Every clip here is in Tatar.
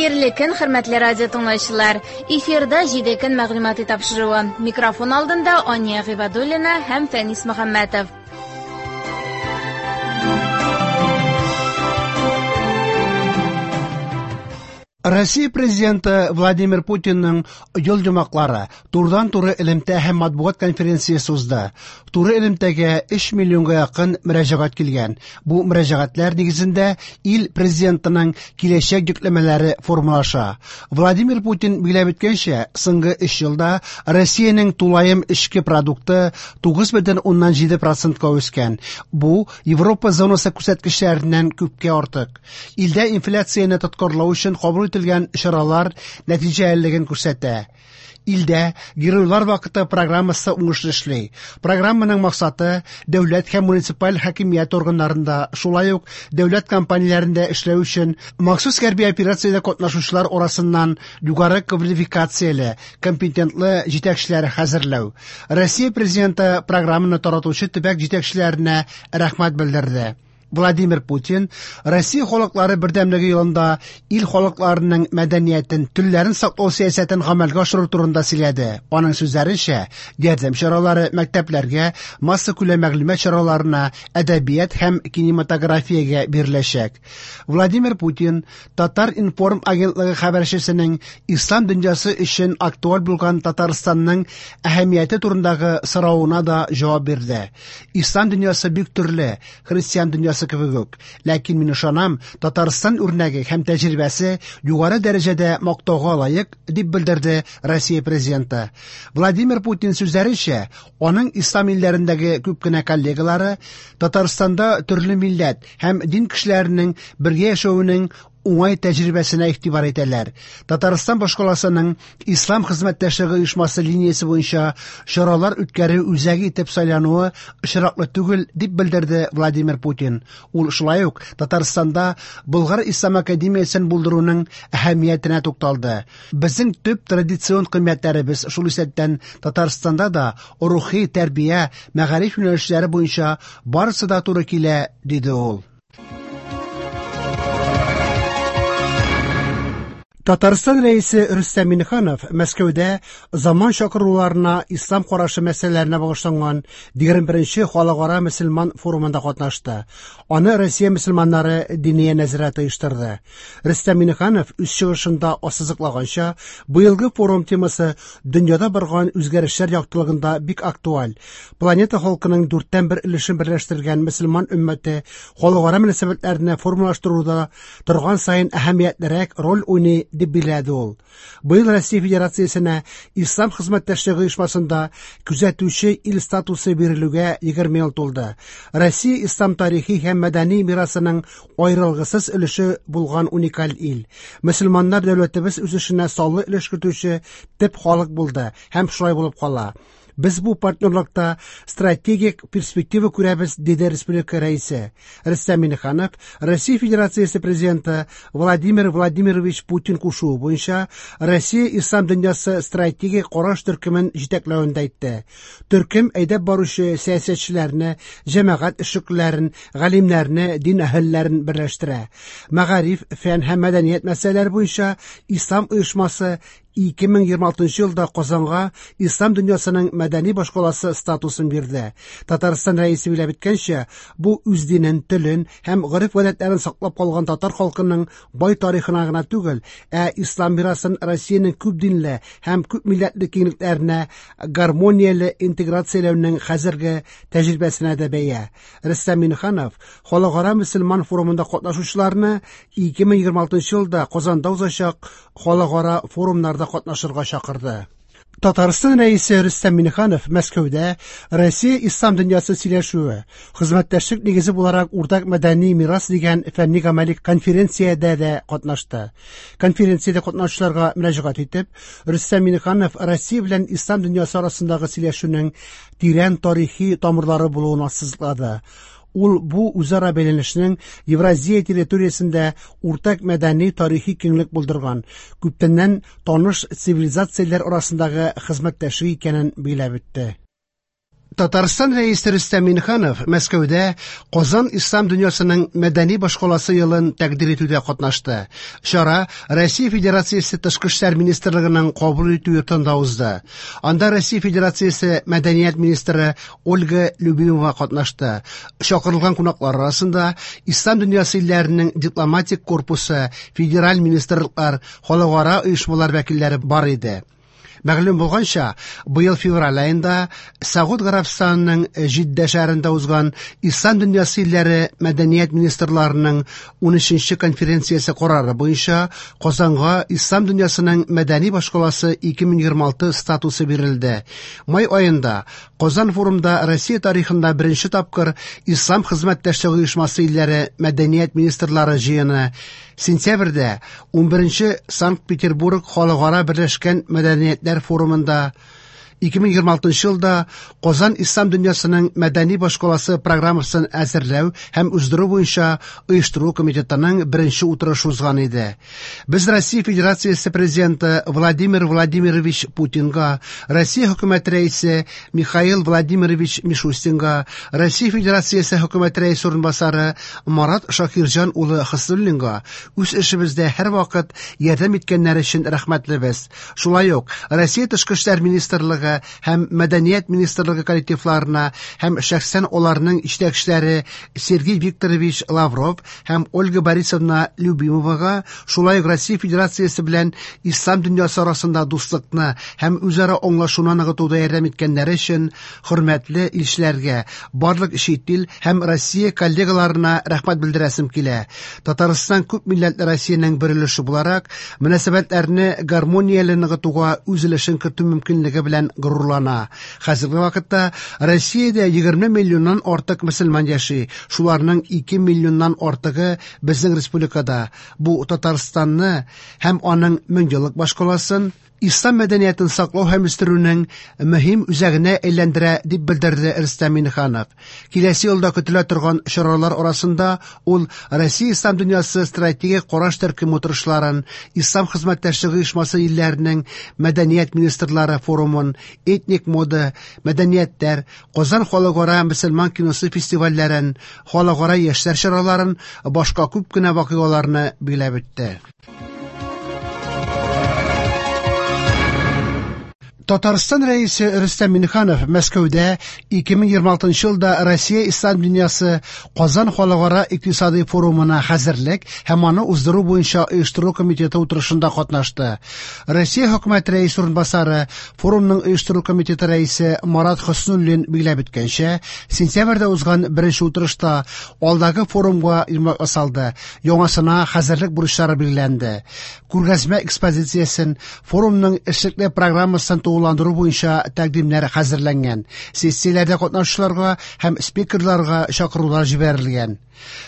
Хәерле көн, хөрмәтле радио тыңлаучылар. Эфирда 7 көн мәгълүмати тапшыруы. Микрофон алдында Ания Гыйбадуллина һәм Фәнис Мөхәммәтов. Россия президенты Владимир Путинның юл йомгаклары турыдан-туры элемтә һәм матбугат конференциясе узды. Туры элемтәгә 3 миллионга якын мөрәҗәгать килгән. Бу мөрәҗәгатьләр нигезендә ил президентының киләчәк йөкләмәләре формалаша. Владимир Путин билгеләп үткәнчә, соңгы 3 елда Россиянең тулаем эчке продукты 9,7%-ка үскән. Бу Европа зонасы күрсәткечләреннән күпкә артык. Илдә инфляцияне тоткарлау өчен кабул ителгән чаралар нәтиҗәлелеген күрсәтә. Илдә Геройлар вакыты программасы уңышлы эшли. Программаның максаты дәүләт һәм муниципаль хакимият органнарында, шулай ук дәүләт компанияләрендә эшләү өчен махсус хәрби операциядә катнашучылар арасыннан югары квалификацияле, компетентлы җитәкчеләр хәзерләү. Россия президенты программаны таратучы төбәк җитәкчеләренә рәхмәт белдерде. Владимир Путин Россия халыклары бердәмлеге елында ил халыкларының мәдәниятен, телләрен саклау сәясәтен гамәлгә ашыру турында сөйләде. Аның сүзләренчә, ярдәм чаралары мәктәпләргә, массакүләм мәгълүмат чараларына, әдәбият һәм кинематографиягә биреләчәк. Владимир Путин Татар-информ агентлыгы хәбәрчесенең ислам дөньясы өчен актуаль булган Татарстанның әһәмияте турындагы соравына да җавап бирде. Ислам дөньясы бик төрле, христиан дөньясы кебек үк. Ләкин мин ышанам, Татарстан үрнәге һәм тәҗрибәсе югары дәрәҗәдә мактауга лаек, дип белдерде Россия президенты. Владимир Путин сүзләренчә, аның ислам илләрендәге күп кенә коллегалары Татарстанда төрле милләт һәм дин кешеләренең бергә яшәвенең уңай тәҗрибәсенә игътибар итәләр. Татарстан башкаласының Ислам хезмәттәшлеге оешмасы линиясе буенча чаралар үткәрү үзәге итеп сайлануы очраклы түгел, дип белдерде Владимир Путин. Ул шулай ук Татарстанда Болгар ислам академиясен булдыруның әһәмиятенә тукталды. Безнең төп традицион кыйммәтләребез, шул исәптән Татарстанда да рухи тәрбия, мәгариф юнәлешләре буенча барысы да туры килә, диде ул. Татарстан Рәисе Рөстәм Миңнеханов Мәскәүдә заман чакыруларына ислам карашы мәсьәләләренә багышланган 21нче халыкара мөселман форумында катнашты. Аны Россия мөселманнары Диния нәзарәте оештырды. Рөстәм Миңнеханов үз чыгышында ассызыклаганча, быелгы форум темасы дөньяда барган үзгәрешләр яктылыгында бик актуаль. Планета халкының дүрттән бер өлешен берләштергән мөселман өммәте халыкара мөнәсәбәтләрне формалаштыруда торган саен әһәмиятлерәк роль уйный, дип билгеләде ул. Быел Россия Федерациясенә Ислам хезмәттәшлеге оешмасында күзәтүче ил статусы бирелүгә 20 ел тулды. Россия ислам тарихи һәм мәдәни мирасының аерылгысыз өлеше булган уникаль ил. Мөселманнар дәүләтебез үсешенә саллы өлеш кертүче төп халык булды һәм шулай булып кала. Без бу партнерлыкта стратегик перспектива күрәбез, диде республика рәисе. Рөстәм Миңнеханов Россия Федерациясе президенты Владимир Владимирович Путин кушуы буенча Россия ислам дөньясы стратегик караш төркемен җитәкләвен дә әйтте. Төркем әйдәп баручы сәясәтчеләрне, җәмәгать эшлеклеләрен, галимнәрне, дин әһелләрен берләштерә. Мәгариф, фән һәм мәдәният мәсьәләләре буенча ислам оешмасы 2026 елда Казанга ислам дөньясының мәдәни башкаласы статусын бирде. Татарстан рәисе билгеләп үткәнчә, бу үз динен, телен һәм гореф-гадәтләрен саклап калган татар халкының бай тарихына гына түгел, ә ислам мирасын Россиянең күп динле һәм күп милләтле киңлекләренә гармонияле интеграцияләүнең хәзерге тәҗрибәсенә дә бәя. Рөстәм Миңнеханов Халыкара мөселман форумында катнашучыларны 2026 елда Казанда узачак халыкара форумнарда катнашырга чакырды. Татарстан Рәисе Рөстәм Миңнеханов Мәскәүдә Россия ислам дөньясы сөйләшүе, хезмәттәшлек нигезе буларак уртак мәдәни мирас дигән фәнни-гамәли конференциядә дә катнашты. Конференциядә катнашучыларга мөрәҗәгать итеп, Рөстәм Миңнеханов Россия белән ислам дөньясы арасындагы сөйләшүнең тирән тарихи тамырлары булуын ассызыклады. Ул бу үзара бәйләнешнең Евразия территориясендә уртак мәдәни тарихи киңлек булдырган, күптәннән таныш цивилизацияләр арасындагы хезмәттәшлек икәнен билгеләп үтте. Татарстан Рәисе Рөстәм Миңнеханов Мәскәүдә Казан ислам дөньясының мәдәни башкаласы елын тәкъдир итүдә катнашты. Чара Россия Федерациясе Тышкы эшләр министрлыгының кабул итү йортында узды. Анда Россия Федерациясе мәдәният министры Ольга Любимова катнашты. Чакырылган кунаклар арасында ислам дөньясы илләренең дипломатик корпусы, федераль министрлыклар, халыкара оешмалар вәкилләре бар иде. Мәгълүм булганча, быел февраль аенда Сәгуд Гарәбстанының Җиддә шәһәрендә узган Ислам дөньясы илләре мәдәният министрларының 13нче конференциясе карары буенча Казанга Ислам дөньясының мәдәни башкаласы 2026 статусы бирелде. Май аенда Казан форумда Россия тарихында беренче тапкыр Ислам хезмәттәшлеге оешмасы илләре мәдәният министрлары җыены, сентябрьдә 11нче Санкт-Петербург халыкара берләшкән мәдәниятләр форумында, 2026 елда Казан ислам дөньясының мәдәни башкаласы программасын әзерләү һәм уздыру буенча оештыру комитетының беренче утырышы узган иде. Без Россия Федерациясе президенты Владимир Владимирович Путинга, Россия хөкүмәте рәисе Михаил Владимирович Мишустинга, Россия Федерациясе хөкүмәте рәисе урынбасары Марат Шакирҗан улы Хөснуллинга үз эшебездә һәрвакыт ярдәм иткәннәре өчен рәхмәтлебез. Шулай ук Россия Тышкы эшләр министрлыгы һәм Мәдәният министрлыгы коллективларына һәм шәхсән аларның җитәкчеләре Сергей Викторович Лавров һәм Ольга Борисовна Любимовага, шулай ук Россия Федерациясе белән ислам дөньясы арасында дуслыкны һәм үзара аңлашуны ныгытуда ярдәм иткәннәре өчен хөрмәтле илчеләргә, барлык чит ил һәм Россия коллегаларына рәхмәт белдерәсем килә. Татарстан күп милләтле Россиянең бер өлеше буларак, мөнәсәбәтләрне гармонияле ныгытуга үз өлешен кертү мөмкинлеге белән горурлана. Хәзерге вакытта Россиядә 20 миллионнан артык мөселман яши, шуларның 2 миллионнан артыгы безнең республикада. Бу Татарстанны һәм аның меңьеллык башкаласын ислам мәдәниятен саклау һәм үстерүнең мөһим үзәгенә әйләндерә, дип белдерде Рөстәм Миңнеханов. Киләсе елда көтелә торган чаралар арасында ул Россия ислам дөньясы стратегик караш төркеме утырышларын, Ислам хезмәттәшлеге оешмасы илләренең мәдәният министрлары форумын, этник мода, мәдәниятләр, Казан халыкара мөселман киносы фестивальләрен, халыкара яшьләр чараларын, башка күп кенә вакыйгаларны билгеләп үтте. Татарстан Рәисе Рөстәм Миңнеханов Мәскәүдә 2026 елда Россия ислам дөньясы Казан халыкара икътисади форумына хәзерлек һәм аны уздыру буенча оештыру комитеты утырышында катнашты. Россия хөкүмәте рәисе урынбасары, форумның оештыру комитеты рәисе Марат Хөснуллин билгеләп үткәнчә, сентябрьдә узган беренче утырышта алдагы форумга йомгак ясалды, яңасына хәзерлек бурычлары билгеләнде. Күргәзмә экспозициясен, форумның эшлекле программасын тулыландыру буенча тәкъдимнәр хәзерләнгән. Сессияләрдә катнашучыларга һәм спикерларга чакырулар җибәрелгән.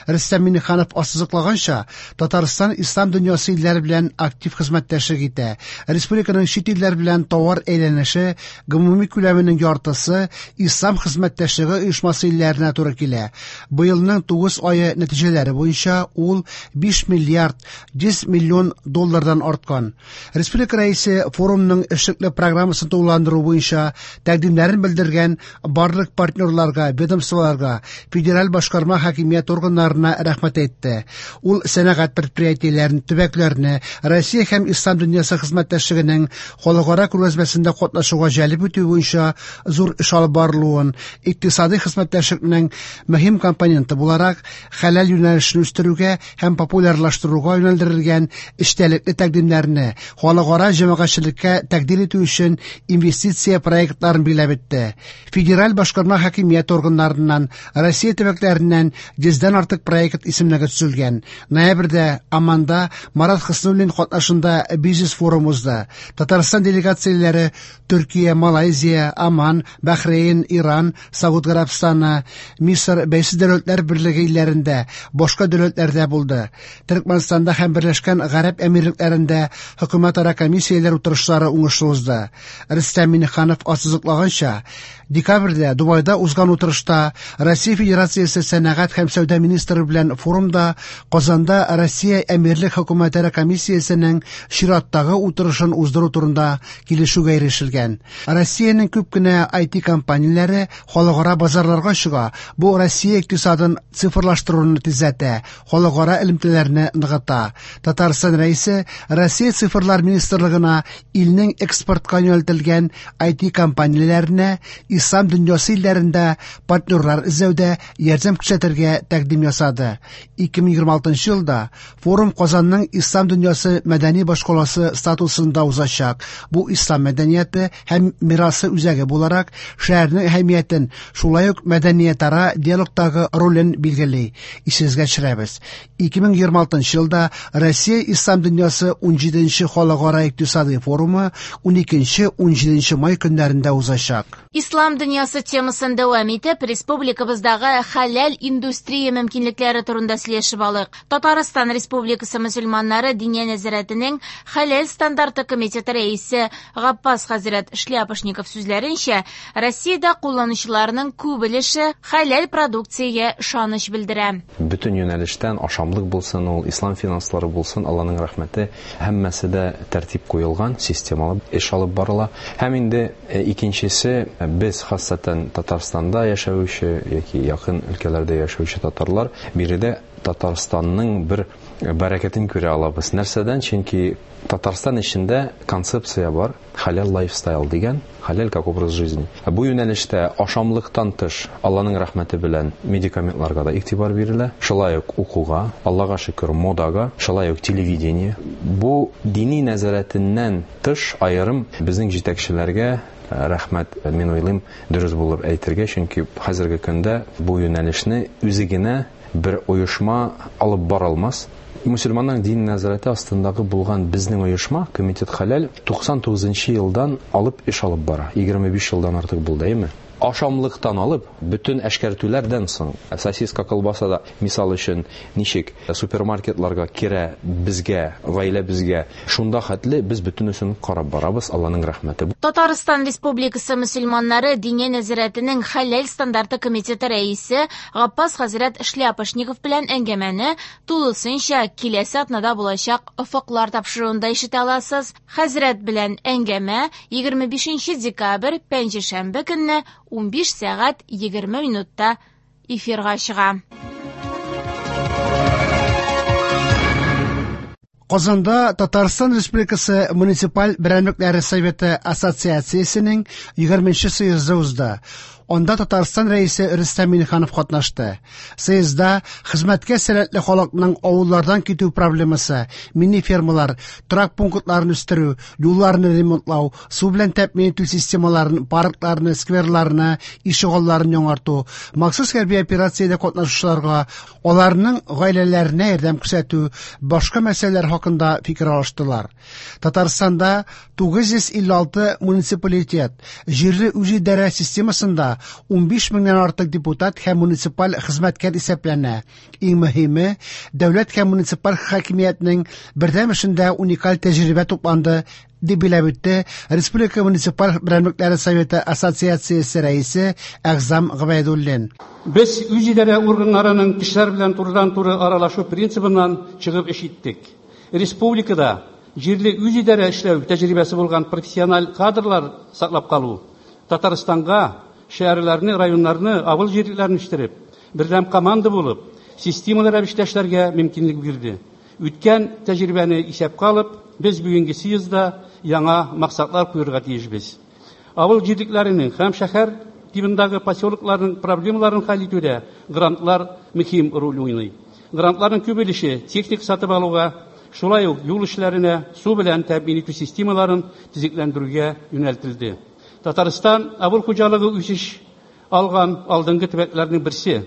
Рөстәм Миңнеханов ассызыклаганча, Татарстан ислам дөньясы илләре белән актив хезмәттәшлек итә. Республиканың чит илләр белән товар әйләнеше гомуми күләменең яртысы ислам хезмәттәшлеге оешмасы илләренә туры килә. Быелның 9 ае нәтиҗәләре буенча ул 5 миллиард 100 миллион доллардан арткан. Республика рәисе форумның эшлекле программасын тулыландыру буенча тәкъдимнәрен белдергән барлык партнерларга, ведомстволарга, федераль башкарма хакимият органнарына рәхмәт әйтте. Ул сәнәгать предприятиеләрен, төбәкләрне Россия һәм ислам дөньясы хезмәттәшлегенең халыкара күргәзмәсендә катнашуга җәлеп итү буенча зур эш алып барылуын, икътисади хезмәттәшлекнең мөһим компоненты буларак хәләл юнәлешен үстерүгә һәм популярлаштыруга юнәлдерелгән эчтәлекле тәкъдимнәрне халыкара җәмәгатьчелеккә тәкъдир итү өчен инвестиция проектларын билгеләп үтте. Федераль башкарма хакимият органнарыннан, Россия төбәкләреннән 100дән артык проект исемлеге төзелгән. Ноябрьдә Амманда Марат Хөснуллин катнашында бизнес форум узды. Татарстан делегацияләре Төркия, Малайзия, Аман, Бәхрейн, Иран, Сауд Гарәбстаны, Мисыр, Бәйсез Дәүләтләр Берлеге илләрендә, башка дәүләтләрдә булды. Төркмәнстанда һәм Берләшкән Гарәп Әмирлекләрендә хөкүмәтара комиссияләр утырышлары уңышлы узды. Рөстәм Миңнеханов ассызыклаганча, Декабрьдә Дубайда узган утырышта Россия Федерациясе сәнәгать һәм сәүдә министры белән форумда Казанда Россия Әмирлек хөкүмәтара комиссиясенең чираттагы утырышын уздыру турында килешүгә ирешелгән. Россиянең күп кенә IT компанияләре халыкара базарларга чыга. Бу Россия икътисадын цифрлаштыруны тизләтә, халыкара элемтәләрне ныгыта. Татарстан Рәисе Россия цифрлар министрлыгына илнең экспортка юнәлтелгән IT компанияләренә ислам дөньясы илләрендә партнерлар эзләүдә ярдәм күрсәтергә тәкъдим ясады. 2026 елда форум Казанның ислам дөньясы мәдәни башкаласы статусында узачак. Бу ислам мәдәнияте һәм мирасы үзәге буларак шәһәрнең әһәмиятен, шулай ук мәдәниятара диалогтагы ролен билгели. Исегезгә төшерәбез. 2026 елда Россия ислам дөньясы 17нче халыкара икътисади форумы 12-17 май көннәрендә узачак. Ислам дөньясы темасын дәвам итеп, республикабыздагы хәләл индустрия мөмкинлекләре турында сөйләшеп алыйк. Татарстан Республикасы мөселманнары Диния нәзарәтенең хәләл стандарты комитеты рәисе Габбас хәзрәт Шляпошников сүзләренчә, Россиядә кулланучыларның күп өлеше хәләл продукциягә ышаныч белдерә. Бөтен юнәлештән ашамлык булсын ул, ислам финанслары булсын, Алланың рәхмәте, һәммәсе дә тәртип куелган, системалы эш алып барыла. Һәм инде икенчесе, без хассатан Татарстанда яшәүче яки якын өлкәләрдә яшәүче татарлар биредә Татарстанның бер бәрәкәтен күрә алабыз. Нәрсәдән? Чөнки Татарстан эчендә концепция бар, хәләл лайфстайл дигән, хәләл как образ жизни. Бу юнәлештә ашамлыктан тыш Алланың рәхмәте белән медикаментларга да игътибар бирелә, шулай ук укуга, Аллага шөкер, модага, шулай ук телевидение. Бу дини нәзарәтеннән тыш аерым безнең җитәкчеләргә рәхмәт, мин уйлыйм, дөрес булыр әйтергә, чөнки хәзерге көндә бу юнәлешне үзе генә бер оешма алып бара алмас. Мөселманның дин нәзарәте астындагы булган безнең оешма, Комитет Хәләл, 99 елдан алып эш алып бара. 25 елдан артык булды, әйме? Ашамлыктан алып, бөтен әшкәртүләрдән соң, сосиска, колбаса да, мисал өчен, ничек супермаркетларга керә безгә, гаиләбезгә, шунда хәтле без бөтенесен карап барабыз, Алланың рәхмәте. Татарстан Республикасы мөселманнары Диния нәзарәтенең хәләл стандарты комитеты рәисе Габбас хәзрәт Шляпошников белән әңгәмәне тулысынча киләсе атнада булачак Офыклар тапшыруында ишетә аласыз. Хәзрәт белән әңгәмә 25 декабрь пәнҗешәмбе көнне 15 сәгать 20 минутта эфирга чыга. Казанда Татарстан Республикасы Муниципаль берәмлекләре Советы Ассоциациясенең 20нче съезды узды. Анда Татарстан Рәисе Рөстәм Миңнеханов катнашты. Съездда хезмәткә сәләтле халыкның авыллардан китү проблемасы, мини-фермалар, торак пунктларын үстерү, юлларны ремонтлау, су белән тәэмин итү системаларын, паркларны, скверларны, ишегалларын яңарту, махсус хәрби операциядә катнашучыларга, аларның гаиләләренә ярдәм күрсәтү, башка мәсьәләләр хакында фикер алыштылар. Татарстанда 956 муниципалитет, җирле үзидарә системасында 15 меңнән артык депутат һәм муниципаль хезмәткәр исәпләнә. Иң мөһиме, дәүләт һәм муниципаль хакимиятнең бердәм эшендә уникаль тәҗрибә тупланды, дип билгеләп үтте Республика муниципаль берәмлекләре Советы Ассоциациясе рәисе Әгъзам Гобәйдуллин. Без үзидарә органнарының кешеләр белән турыдан-туры аралашу принцибыннан чыгып эш иттек. Республикада җирле үзидарә эшләү тәҗрибәсе булган профессиональ кадрлар саклап калу, Татарстанга шәһәрләрне, районнарны, авыл җирлекләрен үстереп, бердәм команда булып, системалы рәвештә эшләргә мөмкинлек бирде. Үткән тәҗрибәне исәпкә алып, без бүгенге съездда яңа максатлар куярга тиешбез. Авыл җирлекләренең һәм шәһәр тибындагы поселокларның проблемаларын хәл итүдә грантлар мөһим роль уйный. Грантларның күп өлеше техник сатып алуга, шулай ук юл эшләренә, су белән тәэмин итү системаларын төзекләндерүгә юнәлтелде. Татарстан авыл хуҗалыгы үсеш алган алдынгы төбәкләрнең берсе.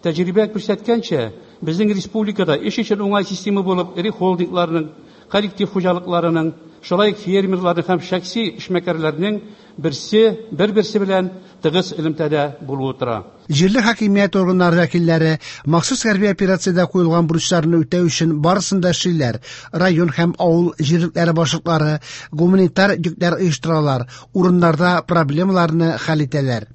Тәҗрибә күрсәткәнчә, безнең республикада эш өчен уңай система булып эре холдингларның коллектив хуҗалыкларының, шулай ук фермерларның һәм шәхси эшмәкәрләрнең бер-берсе белән тыгыз элемтәдә булуы тора. Җирле хакимият органнары вәкилләре махсус хәрби операциядә куелган бурычларны үтәү өчен барысын да эшлиләр. Район һәм авыл җирлекләре башлыклары гуманитар йөкләр оештыралар, урыннарда проблемаларны хәл итәләр.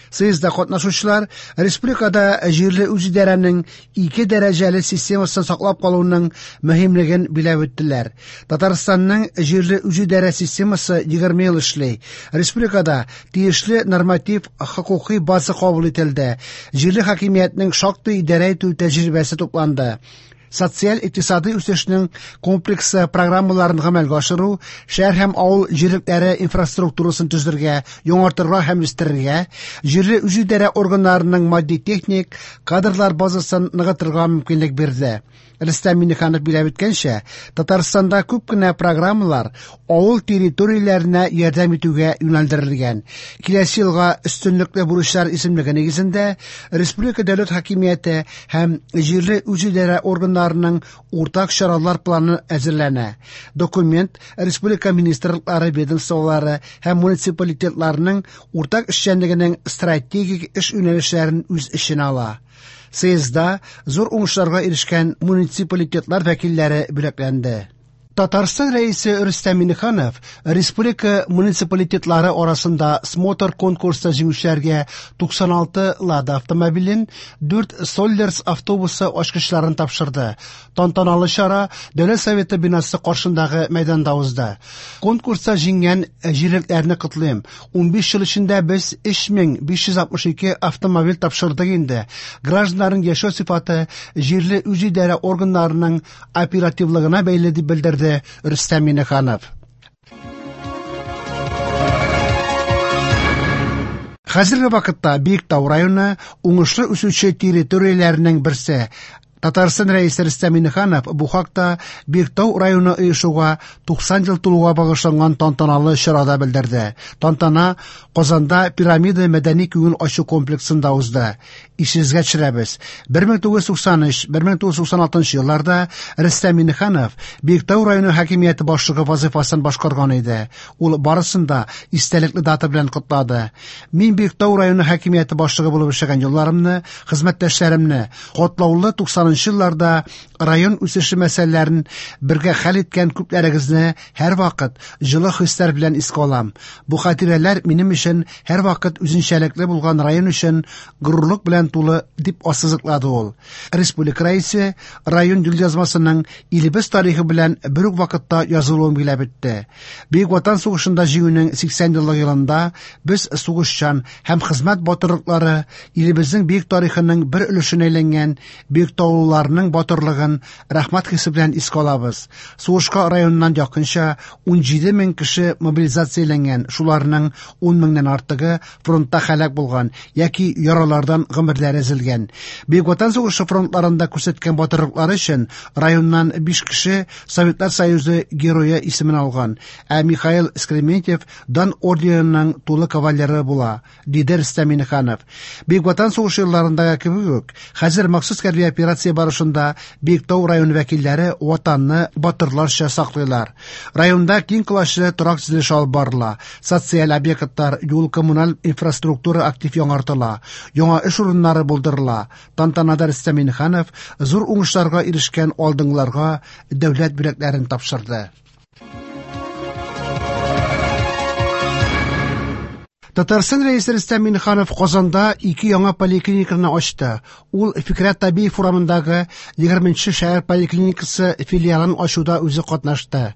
Съездда катнашучылар республикада җирле үзидарәнең ике дәрәҗәле системасын саклап калуның мөһимлеген биләп үттеләр. Татарстанның җирле үзидарә системасы 20 ел эшли. Республикада тиешле норматив хокукый база кабул ителде. Җирле хакимиятнең шактый идарә итү тәҗрибәсе тупланды. Социаль-икътисадый үсешнең комплексы программаларын гамәлгә ашыру, шәһәр һәм авыл җирлекләре инфраструктурасын төзергә, яңартырга һәм үстерергә, җирле үзидарә органнарының матди-техник кадрлар базасын ныгытырга мөмкинлек бирде. Рөстәм Миңнеханов биләп үткәнчә, Татарстанда күп кенә программалар авыл территорияләренә ярдәм итүгә юнәлдерелгән. Киләсе елга өстенлекле бурычлар исемлеге нигезендә республика дәүләт хакимияте һәм җирле үзидарә органнарының уртак чаралар планы әзерләнә. Документ республика министрлыклары, ведомстволары һәм муниципалитетларының уртак эшчәнлегенең стратегик эш юнәлешләрен үз эченә ала. Съездда зур уңышларга ирешкән муниципалитетлар вәкилләре бүләкләнде. Татарстан Рәисе Рөстәм Миңнеханов республика муниципалитетлары арасында смотр конкурста җиңүчеләргә 96 Лада автомобилен, 4 Соллерс автобусы ачкычларын тапшырды. Тантаналы чара Дәүләт Советы бинасы каршындагы мәйданда узды. Конкурста җиңгән җирлекләрне котлыйм. 15 ел эчендә без 3562 автомобиль тапшырдык инде. Гражданнарның яшәү сыйфаты җирле үзидарә органнарының оперативлыгына бәйле, дип белдерде Рөстәм Миңнеханов. Хәзерге вакытта Биектау районы уңышлы үсүче территорияләренең берсе. Татарстан Рәисе Рөстәм Миңнеханов бу хакта Биектау районы оешуга 90 ел тулуга багышланган тантаналы чарада белдерде. Тантана Казанда Пирамида мәдәни күңел ачу комплексында узды. Исегезгә төшерәбез. 1993-1996 елларда Рөстәм Миңнеханов Биектау районы хакимияте башлыгы вазифасын башкарган иде. Ул барысын да истәлекле дата белән котлады. Мин Биектау районы хакимияте башлыгы булып эшләгән елларымны, хезмәттәшләремне, котлаулы 90 елларда район үсеше мәсьәләләрен бергә хәл иткән күпләрегезне һәрвакыт җылы хисләр белән искә алам. Бу хатирәләр минем өчен һәрвакыт үзенчәлекле булган район өчен горурлык белән тулы, дип ассызыклады ул. Республика рәисе район юлъязмасының илебез тарихы белән бер үк вакытта язылуын биләп үтте. Бөек Ватан сугышында җиңүнең 80 еллык елында без сугышчан һәм хезмәт батырлыклары илебезнең бөек тарихының бер өлешенә әйләнгән биектаулыларның батырлыгын рәхмәт хисе белән искә алабыз. Сугышка районнан якынча 17 мең кеше мобилизацияләнгән, шуларның 10 меңнән артыгы фронтта һәлак булган яки яралардан гомерләре өзелгән. Бөек Ватан сугышы фронтларында күрсәткән батырлыклары өчен районнан 5 кеше Советлар Союзы герое исемен алган, ә Михаил Скрементьев Дан орденының тулы кавалеры була, диде Рөстәм Миңнеханов. Бөек Ватан сугышы елларындагы кебек үк, хәзер махсус хәрби операция барышында Биектау районы вәкилләре ватанны батырларча саклыйлар. Районда киң колачлы торак төзелеше алып барыла. Социаль объектлар, юл, коммуналь инфраструктура актив яңартыла. Яңа эш урыннары булдырыла. Тантанада Рөстәм Миңнеханов зур уңышларга ирешкән алдынгыларга дәүләт бүләкләрен тапшырды. Татарстан Рәисе Рөстәм Миңнеханов Казанда ике яңа поликлиниканы ачты. Ул Фикрәт Табиев урамындагы 20 шәһәр поликлиникасы филиалын ачуда үзе катнашты.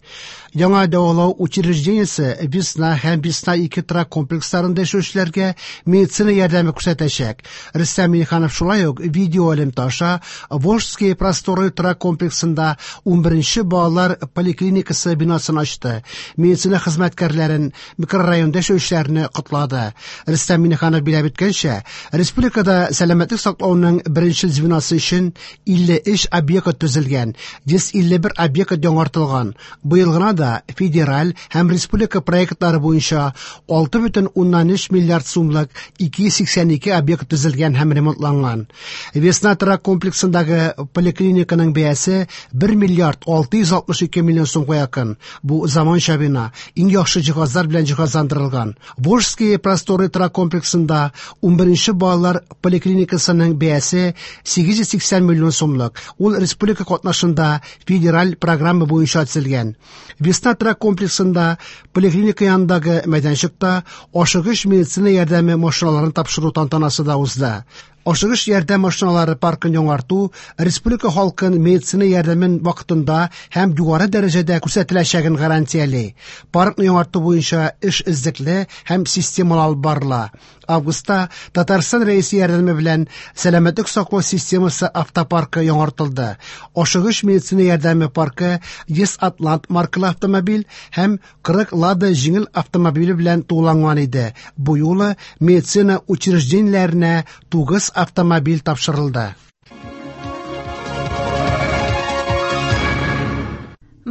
Яңа дәвалау учреждениесе Весна һәм Весна 2 торак комплексларында яшәүчеләргә медицина ярдәме күрсәтәчәк. Рөстәм Миңнеханов шулай ук видео элемтә аша Волжские просторы торак комплексында 11 балалар поликлиникасы бинасын ачты. Медицина хезмәткәрләрен, микрорайонда яшәүчеләрне котлады. ясады. Рөстәм Миңнеханов билгеләп үткәнчә, республикада сәламәтлек саклауның беренчел звеносы өчен 53 объект төзелгән, 151 объект яңартылган. Быел гына да федераль һәм республика проектлары буенча 6,3 миллиард сумлык 282 объект төзелгән һәм ремонтланган. Весна торак комплексындагы поликлиниканың бәясе 1 миллиард 662 миллион сумга якын. Бу заманча бина, иң яхшы җиһазлар белән җиһазландырылган. Волжские просторы торак комплексында 11 балалар поликлиникасының бәясе 880 миллион сумлык. Ул республика катнашында федераль программа буенча төзелгән. Весна торак комплексында поликлиника янындагы мәйданчыкта ашыгыч медицина ярдәме машиналарын тапшыру тантанасы да узды. Ашыгыч ярдәм машиналары паркын яңарту республика халкын медицина ярдәмен вакытында һәм югары дәрәҗәдә күрсәтеләчәген гарантияли. Паркны яңарту буенча эш эзлекле һәм системалы алып барыла. Августта Татарстан Рәисе ярдәме белән сәламәтлек саклау системасы автопаркы яңартылды. Ашыгыч медицина ярдәме паркы 100 Атлант маркалы автомобиль һәм 40 Лада җиңел автомобиле белән тулыланган иде. Бу юлы медицина учреждениеләренә 9 автомобиль тапшырылды.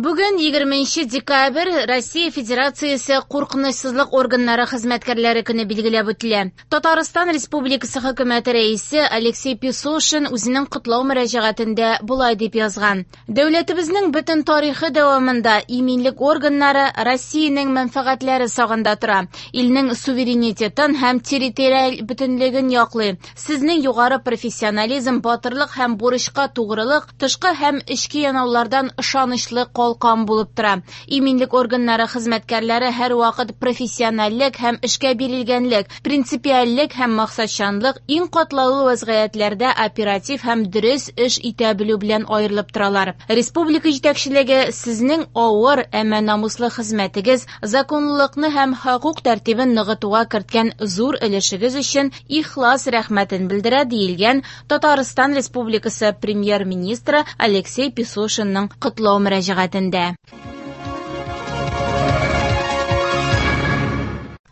Бүген 20 декабрь Россия Федерациясе куркынычсызлык органнары хезмәткәрләре көне билгеләп үтелә. Татарстан Республикасы хөкүмәте рәисе Алексей Песошин үзенең котлау мөрәҗәгатендә болай дип язган: Дәүләтебезнең бөтен тарихы дәвамында иминлек органнары Россиянең мәнфәгатьләре сагында тора, илнең суверенитетын һәм территориаль бөтенлеген яклый. Сезнең югары профессионализм, батырлык һәм бурычка тугрылык тышкы һәм эчке янаулардан ышанычлы калкан булып тора. Иминлек органнары хезмәткәрләре һәрвакыт профессиональлек һәм эшкә бирелгәнлек, принципиальлек һәм максатчанлык иң катлаулы вазгыятьләрдә оператив һәм дөрес эш итә белү белән аерылып торалар. Республика җитәкчелеге сезнең авыр, әмма намуслы хезмәтегез, законлылыкны һәм хокук тәртибен ныгытуга керткән зур өлешегез өчен ихлас рәхмәтен белдерә, диелгән Татарстан Республикасы премьер-министры Алексей Песошинның котлау мөрәҗәгатендә.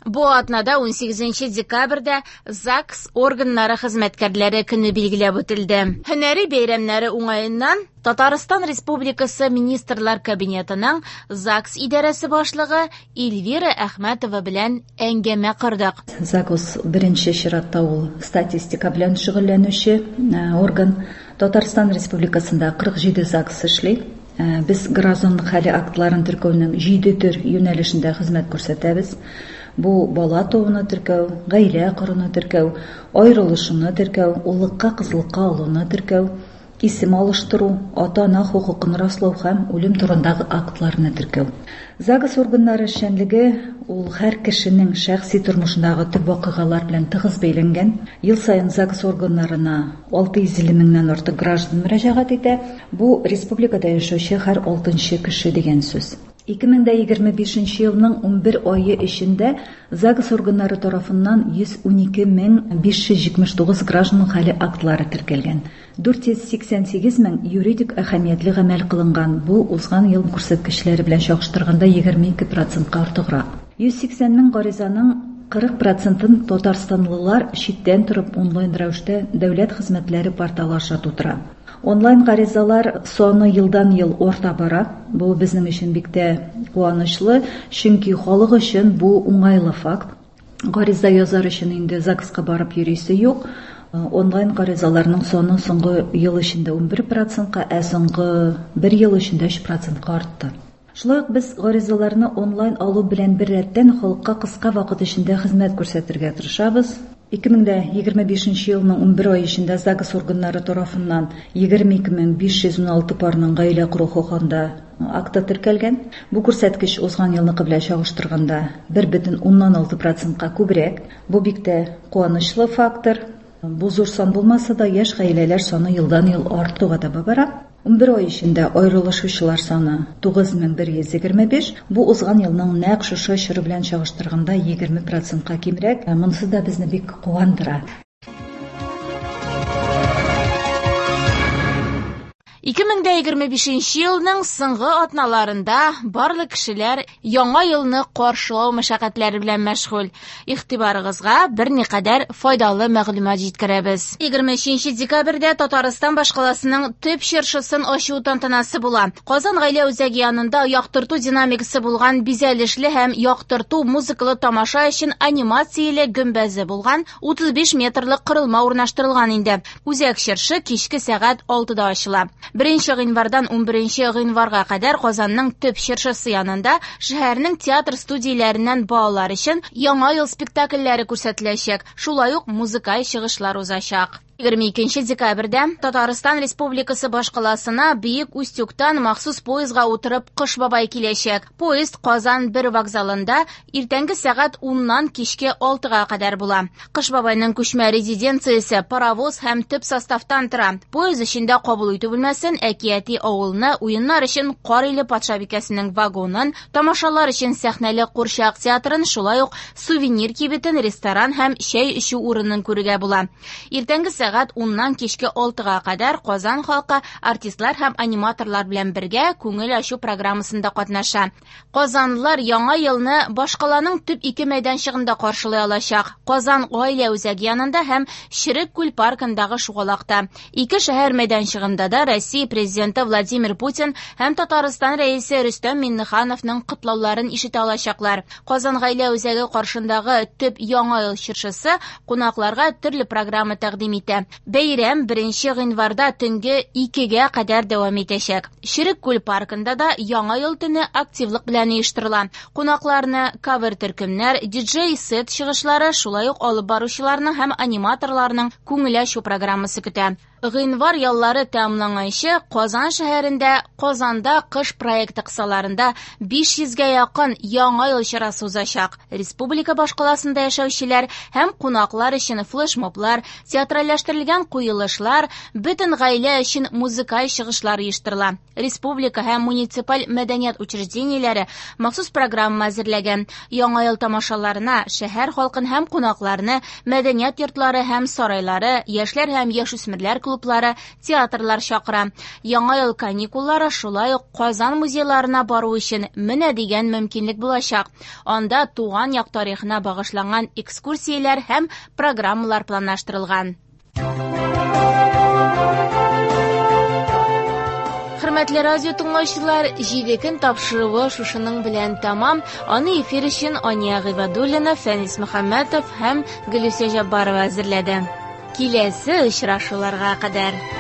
Бу атнада 18 декабрьдә ЗАГС органнары хезмәткәрләре көне билгеләп үтелде. Һөнәри бәйрәмнәре уңаеннан Татарстан Республикасы Министрлар Кабинетының ЗАГС идарәсе башлыгы Эльвира Әхмәтова белән әңгәмә кордык. ЗАГС беренче чиратта ул статистика белән шөгыльләнүче орган. Татарстан Республикасында 47 ЗАГС эшли. Без гражданлык хәле актларын теркәүнең 7 төр юнәлешендә хезмәт күрсәтәбез. Бу бала тууны теркәү, гаилә коруны теркәү, аерылышуны теркәү, уллыкка, кызлыкка алуны теркәү, исем алыштыру, ата-ана хокукын раслау һәм үлем турындагы актларны теркәү. ЗАГС органнары эшчәнлеге ул һәр кешенең шәхси тормышындагы төп вакыйгалар белән тыгыз бәйләнгән. Ел саен ЗАГС органнарына 650 меңнән артык граждан мөрәҗәгать итә. Бу республикада яшәүче һәр 6 кеше дигән сүз. 2025 елның 11 айы эчендә ЗАГС органнары тарафыннан 112 579 граждан хәле актлары теркәлгән. 488 мең юридик әһәмиятле гамәл кылынган. Бу узган ел күрсәткечләре белән чагыштырганда 22%-ка артыграк. 180 мең гаризаның 40%-ын татарстанлылар читтән торып онлайн рәвештә дәүләт хезмәтләре порталы аша тутыра. Онлайн гаризалар саны елдан-ел арта бара. Бу безнең өчен бик тә куанычлы, чөнки халык өчен бу уңайлы факт. Гариза язар өчен инде ЗАГСка барып йөрисе юк. Онлайн гаризаларның саны соңгы ел эчендә 11%-ка, ә соңгы бер ел эчендә 3%-ка артты. Шулай ук без гаризаларны онлайн алу белән беррәттән халыкка кыска вакыт эчендә хезмәт күрсәтергә тырышабыз. 2025 елның 11 ай эчендә ЗАГС органнары тарафыннан 22516 парның гаилә кору хакында акты теркәлгән. Бу күрсәткеч узган елныкы белән чагыштырганда 1,6%-ка күбрәк. Бу бик тә куанычлы фактор. Бу зур сан булмаса да, яшь гаиләләр саны елдан-ел артуга таба бара. 11 ай эчендә аерылышучылар саны 9125. Бу узган елның нәкъ шушы чоры белән чагыштырганда 20%-ка кимрәк. Монысы да безне бик куандыра. 2025 елның соңгы атналарында барлык кешеләр яңа елны каршылау мәшәкатьләре белән мәшгуль. Игътибарыгызга берникадәр файдалы мәгълүмат җиткерәбез. 23 декабрьдә Татарстан башкаласының төп чыршысын ачу тантанасы була. Казан гаилә үзәге янында яктырту динамикасы булган бизәлешле һәм яктырту музыкалы тамаша өчен анимацияле гөмбәзе булган 35 метрлык корылма урнаштырылган инде. Үзәк чыршы кичке сәгать 6-да ачыла. 1 гыйнвардан 11 гыйнварга кадәр Казанның төп чыршысы янында шәһәрнең театр студияләреннән балалар өчен яңа ел спектакльләре күрсәтеләчәк. Шулай ук музыкаль чыгышлар узачак. 22 декабрьдә Татарстан Республикасы башкаласына Бөек Устюгтан махсус поездга утырып Кыш бабай киләчәк. Поезд Казан 1 вокзалында иртәнге сәгать 10-нан кичке 6-га кадәр була. Кыш бабайның күчмә резиденциясе паровоз һәм төп составтан тора. Поезд эчендә кабул итү бүлмәсен, әкияти авылны, уеннар өчен Кар иле патшабикәсенең вагонын, тамашалар өчен сәхнәле курчак театрын, шулай ук сувенир кибетен, ресторан һәм чәй эчү урынын күрергә була. Иртәнге сәгать 10-нан кичке 6-га кадәр Казан халкы артистлар һәм аниматорлар белән бергә күңел ачу программасында катнаша. Казанлылар яңа елны башкаланың төп ике мәйданчыгында каршылый алачак. Казан гаилә үзәге янында һәм Черек күл паркындагы шугалакта. Ике шәһәр мәйданчыгында да Россия президенты Владимир Путин һәм Татарстан рәисе Рөстәм Миңнехановның котлауларын ишетә алачаклар. Казан гаилә үзәге каршындагы төп яңа ел чыршысы кунакларга төрле программа тәкъдим итә. Бәйрәм 1 гыйнварда төнге 2-гә кадәр дәвам итәчәк. Черек күл паркында да яңа ел төне активлык белән оештырыла. Кунакларны кавер төркемнәр, диджей-сет чыгышлары, шулай ук алып баручыларның һәм аниматорларның күңел ачу программасы көтә. Гыйнвар яллары тәмамланганчы Казан шәһәрендә Казанда кыш проекты кысаларында 500-гә якын яңа ел чарасы узачак. Республика башкаласында яшәүчеләр һәм кунаклар өчен флешмоблар, театральләштерелгән куелышлар, бөтен гаилә өчен музыкаль чыгышлар оештырыла. Республика һәм муниципаль мәдәният учреждениеләре махсус программа әзерләгән. Яңа ел тамашаларына шәһәр халкын һәм кунакларны мәдәният йортлары һәм сарайлары, яшьләр һәм яшүсмерләр клублары, театрлар чакыра. Яңа ел каникуллары шулай ук Казан музейларына бару өчен менә дигән мөмкинлек булачак. Анда туган як тарихына багышланган экскурсияләр һәм программалар планлаштырылган. Хөрмәтле радио тыңлаучылар, 7 көн тапшыруы шушының белән тәмам. Аны эфир өчен Ания Гыйбадуллина, Фәнис Мөхәммәтов һәм Гөлүсә Җаббарова әзерләде. Киләсе очрашуларга кадәр.